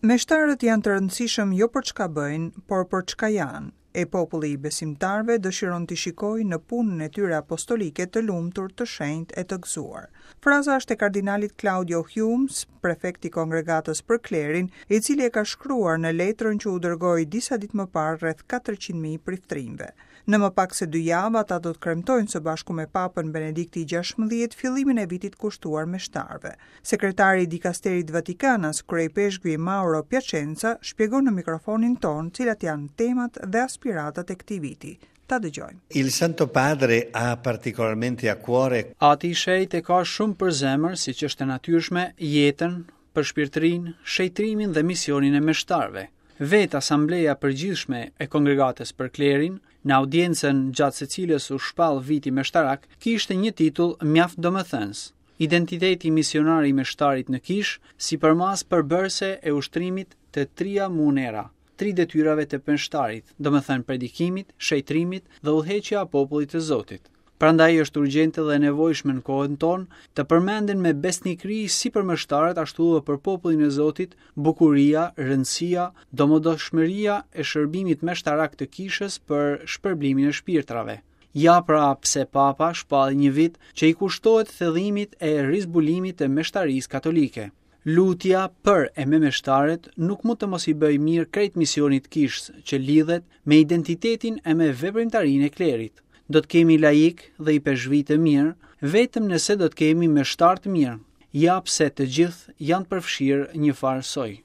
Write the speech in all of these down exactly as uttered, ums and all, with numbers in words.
Meshtarët janë të rëndësishëm jo për çka bëjnë, por për çka janë. E populli i besimtarëve dëshiron t'i shikojë në punën e tyre apostolike të lumtur, të shenjtë e të gëzuar. Fraza është e kardinalit Claudio Hummes, prefekt i kongregatës për klerin, i cili e ka shkruar në letrën që u dërgoi disa ditë më parë rreth katërqind mijë priftrinjve. Në më pak se dy javë ata do të kremtojnë së bashku me Papën Benedikti gjashtëmbëdhjetë fillimin e vitit kushtuar meshtarëve. Sekretari i dikasterit Vatikanas, kryepeshkvi Mauro Piacenza, shpjegon në mikrofonin ton cilat janë temat dhe aspiratat e këtij viti. Ta dëgjojmë. Il Santo Padre ha particolarmente a cuore Ati i Shenjtë e ka shumë për zemër, siç është e natyrshme, jetën, përshpirtërinë, shenjtrimin dhe misionin e meshtarëve. Vetë Asambleja e Përgjithshme e Kongregatës për Klerin, në audiencën gjatë së cilës u shpall viti meshtarak, kishte një titull mjaft domethënës: Identiteti misionar i meshtarit në kishë, si përmas përbërëse e ushtrimit të tria munera, tri detyrave të meshtarit, domethënë predikimit, shenjtrimit dhe udhëheqja e popullit të Zotit. Prandaj është urgjente dhe e nevojshme në kohën tonë të përmenden me besnikëri si për meshtarët ashtu edhe për popullin e Zotit bukuria, rëndësia, domosdoshmëria e shërbimit meshtarak të kishës për shpërblimin e shpirtrave. Ja pra pse Papa shpalli një vit që i kushtohet thellimit e rizbulimit të meshtarisë katolike. Lutja për e me meshtarët nuk mund të mos i bëjë mirë krejt misionit kishës që lidhet me identitetin e me veprimtarinë e klerit. Do të kemi laik dhe i peshvi të mirë, vetëm nëse do të kemi meshtar të mirë. Ja pse të gjithë janë përfshirë një farë soj.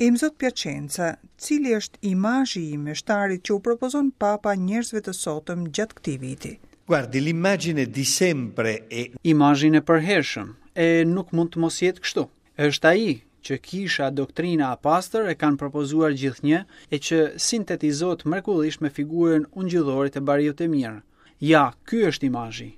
Imzot Piacenza, cili është imazhi i meshtarit që u propozon Papa njerëzve të sotëm gjatë këtij viti? Guardi, l'immagine di sempre e Imazhin e përhershëm, e nuk mund të mos jetë kështu. Është ai që kisha, doktrina e pastër e kanë propozuar gjithnjë e që sintetizohet mrekullisht me figurën ungjillore të bariut të mirë. Ja, ky është imazhi.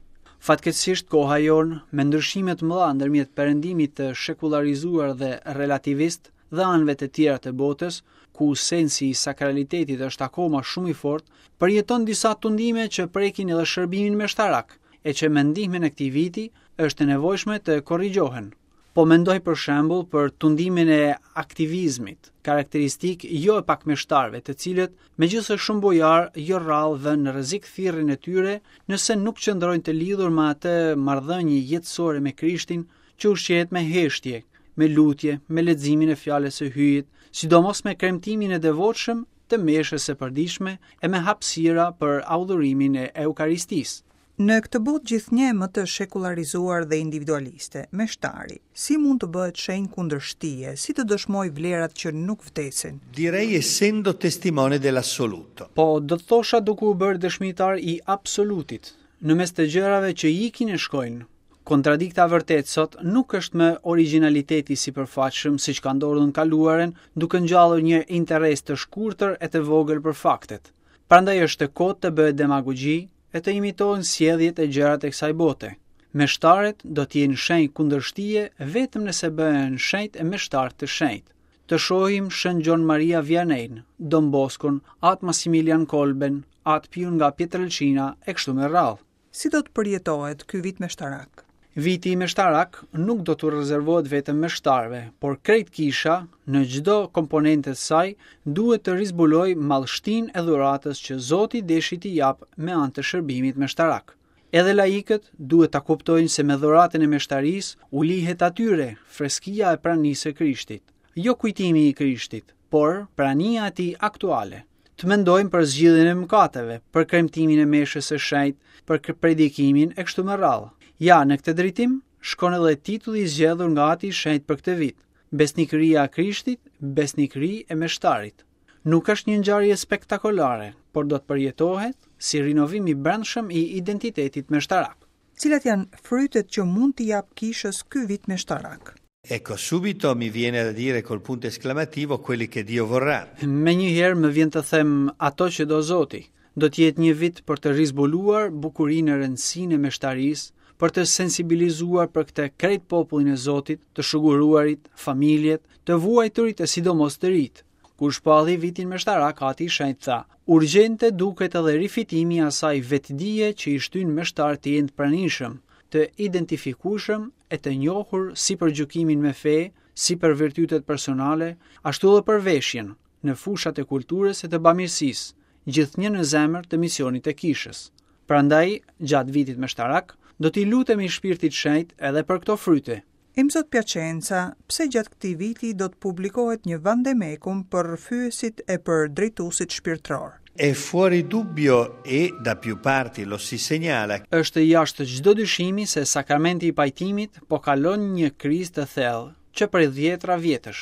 Fatkeqësisht koha jonë, me ndryshime të mëdha ndërmjet perëndimit të shekullarizuar dhe relativist dhe anëve të tjera të botës, ku sensi i sakralitetit është akoma shumë i fortë, përjeton disa tundime që prekin edhe shërbimin meshtarak, e që me ndihmën e këtij viti është e nevojshme të korrigjohen. Po mendoj për shembull për tundimin e aktivizmit, karakteristik jo e pak meshtarëve, të cilët, megjithëse shumë bojar, jo rrallë vënë në rrezik thirrjen e tyre nëse nuk qëndrojnë të lidhur me atë marrëdhënie jetësore me Krishtin që ushqehet me heshtje, me lutje, me leximin e fjalës së Hyjit, sidomos me kremtimin e devotshëm të meshës së përditshme e me hapësira për adhurimin e Eukaristisë. Në këtë botë gjithnjë më të shekullarizuar dhe individualiste, meshtari, si mund të bëhet shenjë kundërshtie, si të dëshmoj vlerat që nuk vdesin? Direi essendo testimone dell'assoluto. Po, do të thosha duke u bërë dëshmitar i absolutit, në mes të gjërave që ikin e shkojnë. Kontradikta vërtet sot nuk është më originaliteti i sipërfaqshëm siç ka ndodhur në kaluarën, duke ngjallur një interes të shkurtër e të vogël për faktet. Prandaj është e kotë të bëhet demagogji e të imitohen sjelljet e gjërat e kësaj bote. Meshtarët do të jenë shenjë kundërshtie vetëm nëse bëhen shenjt e meshtar të shenjtë. Të shohim Shën Gjon Maria Vianney, Don Boscon, Atë Massimilian Kolben, Atë Piun nga Pietrelcina e kështu me radhë. Si do të përjetohet ky vit meshtarak? Viti meshtarak nuk do t'u rezervohet vetëm meshtarëve, por krejt kisha në çdo komponente të saj duhet të rizbulojë madhështinë e dhuratës që Zoti deshi t'i jap me anë të shërbimit meshtarak. Edhe laikët duhet ta kuptojnë se me dhuratën e meshtarisë u lihet atyre freskia e pranisë së Krishtit, jo kujtimi i Krishtit, por prania e tij aktuale. Të mendojmë për zgjidhjen e mëkateve, për kremtimin e meshës së shenjtë, për predikimin e kështu me radhë. Ja, në këtë drejtim shkon edhe titulli i zgjedhur nga Ati i Shenjtë për këtë vit, Besnikëria e Krishtit, besnikëri e meshtarit. Nuk është një ngjarje spektakolare, por do të përjetohet si rinovim i brendshëm i identitetit meshtarak. Cilat janë frytet që mund t'i jap kishës ky vit meshtarak? Ecco, subito mi viene da dire col punto esclamativo quelli che Dio vorrà. Me një herë më vjen të them ato që do Zoti. Do të jetë një vit për të rizbuluar bukurinë e rëndësinë e meshtarisë, për të sensibilizuar për këtë krejt popullin e Zotit, të shuguruarit, familjet, të vuajturit e sidomos të rit. Kur shpalli vitin meshtarak, Ati i Shenjtë tha: Urgjente duket edhe rifitimi i asaj vetëdije që i shtyn meshtarët të jenë të pranishëm, të identifikueshëm e të njohur si për gjykimin me fe, si për virtytet personale, ashtu edhe për veshjen, në fushat e kulturës e të bamirësisë, gjithnjë në zemër të misionit të kishës. Prandaj, gjatë vitit meshtarak, do t'i lutemi Shpirtit Shenjt edhe për këto fryte. Imzot Piacenza, pse gjatë këtij viti do të publikohet një vademecum për rrëfyesit e për drejtuesit shpirtëror? È fuori dubbio e da più parti lo si segnala Është jashtë çdo dyshimi se sakramenti i pajtimit po kalon një krizë të thellë që prej dhjetra vjetësh.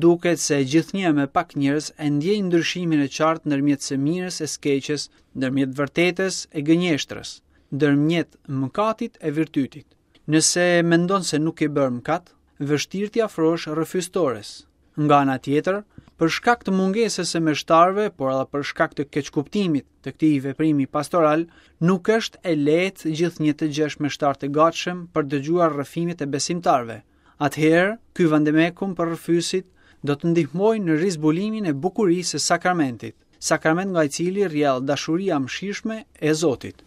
Duket se gjithnjë më pak njerëz e ndjejnë ndryshimin e qartë ndërmjet së mirës e së keqes, ndërmjet vërtetës e gënjeshtrës, ndërmjet mëkatit e virtytit. Nëse mendon se nuk ke bërë mëkat, vështirë t'i afrohesh rrëfyestores. Nga ana tjetër, për shkak të mungesës së meshtarëve, por edhe për shkak të keqkuptimit të këtij veprimi pastoral, nuk është e lehtë gjithnjë të gjesh meshtar të gatshëm për dëgjuar rrëfimet e besimtarëve. Atëherë, ky vademecum për rrëfyesit do të ndihmojë në rizbulimin e bukurisë së sakramentit, sakrament nga i cili rrjedh dashuria e mëshirshme e Zotit.